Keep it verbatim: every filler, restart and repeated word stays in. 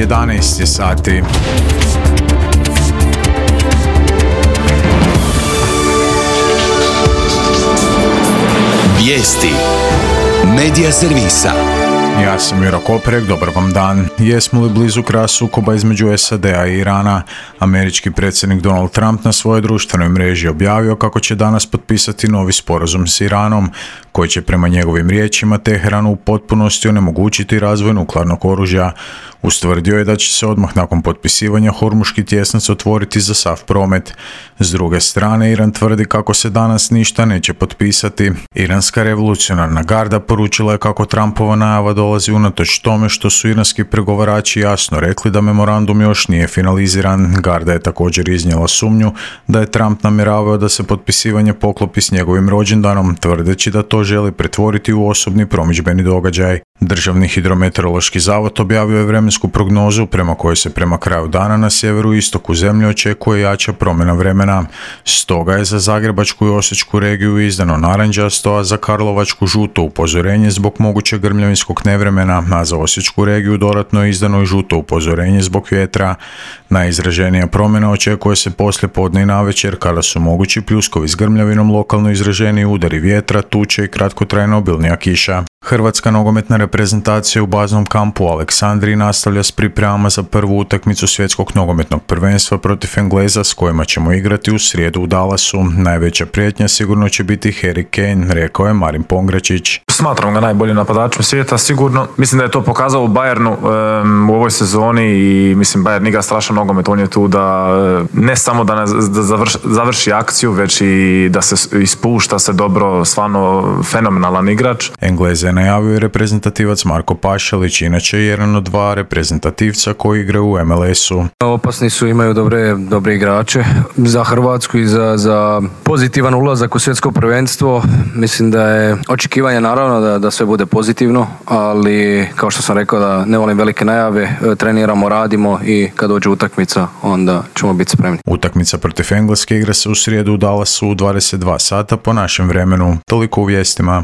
jedanaest je sati. Vijesti Medija servisa. Ja sam Miro Koprek, dobar vam dan. Jesmo li blizu kraja sukoba između S A D-a i Irana? Američki predsjednik Donald Trump na svojoj društvenoj mreži objavio kako će danas potpisati novi sporazum s Iranom, koji će prema njegovim riječima Teheranu u potpunosti onemogućiti razvoj nuklearnog oružja. Ustvrdio je da će se odmah nakon potpisivanja Hormuški tjesnac otvoriti za sav promet. S druge strane, Iran tvrdi kako se danas ništa neće potpisati. Iranska revolucionarna garda poručila je kako Trumpova najava dolazi unatoč tome što su iranski pregovarači jasno rekli da memorandum još nije finaliziran. Garda je također iznijela sumnju da je Trump namjeravao da se potpisivanje poklopi s njegovim rođendanom, tvrdeći da to želi pretvoriti u osobni promidžbeni događaj. Državni hidrometeorološki zavod objavio je vremensku prognozu prema kojoj se prema kraju dana na sjeveru i istoku zemlje očekuje jača promjena vremena. Stoga je za Zagrebačku i Osječku regiju izdano narančasto, a za Karlovačku žuto upozorenje zbog mogućeg grmljavinskog nevremena, a za Osječku regiju dodatno je izdano i žuto upozorenje zbog vjetra. Najizraženija promjena očekuje se poslije podne i navečer, kada su mogući pljuskovi s grmljavinom, lokalno izraženi udari vjetra, tuče i kratkotrajna obilnija kiša. Hrvatska nogometna reprezentacija u baznom kampu u Aleksandriji nastavlja s pripremama za prvu utakmicu svjetskog nogometnog prvenstva protiv Engleza, s kojima ćemo igrati u srijedu u Dallasu. Najveća prijetnja sigurno će biti Harry Kane, rekao je Marin Pongračić. Smatram ga najboljim napadačem svijeta, sigurno. Mislim da je to pokazao u Bayernu um, u ovoj sezoni i mislim Bayern igra strašan nogomet, on je tu da ne samo da, ne, da završi, završi akciju, već i da se ispušta se dobro, stvarno fenomenalan igrač. Engleze je najavio reprezentativac Marko Pašalić, inače jedan od dva reprezentativca koji igraju u M L S-u. Opasni su, imaju dobre, dobre igrače za Hrvatsku i za, za pozitivan ulazak u svjetsko prvenstvo. Mislim da je očekivanje naravno da, da sve bude pozitivno, ali kao što sam rekao da ne volim velike najave, treniramo, radimo i kad dođe utakmica onda ćemo biti spremni. Utakmica protiv Engleske igra se u srijedu u Dallasu u dvadeset dva sata po našem vremenu. Toliko u vijestima.